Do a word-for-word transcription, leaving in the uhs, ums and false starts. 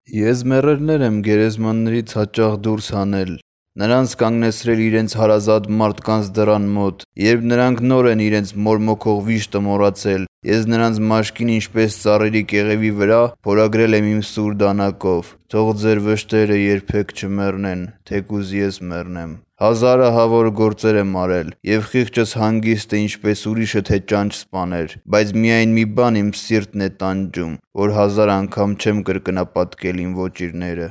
Ես մեռելներ եմ գերեզմաններից հաճախ դուրս հանել, նրանց կանգնեցրել իրենց հարազատ մարդկանց դռան մոտ, երբ նրանք նոր են իրենց մորմոքող վիշտը մոռացել, ես նրանց մաշկին ինչպես ծառերի կեղևի վրա փորագրել եմ իմ սուր դանակով, թող ձեր վշտերը երբեք չմեռնեն, թեկուզ ես մեռնեմ: Հազարահավոր գործեր եմ արել, և խիղճս հանգիստ է ինչպես ուրիշը թե ճանճ սպաներ, բայց միայն մի բան իմ սիրտն է տանջում, որ հազար անգամ չեմ կրկնապատկել իմ ոճիրները: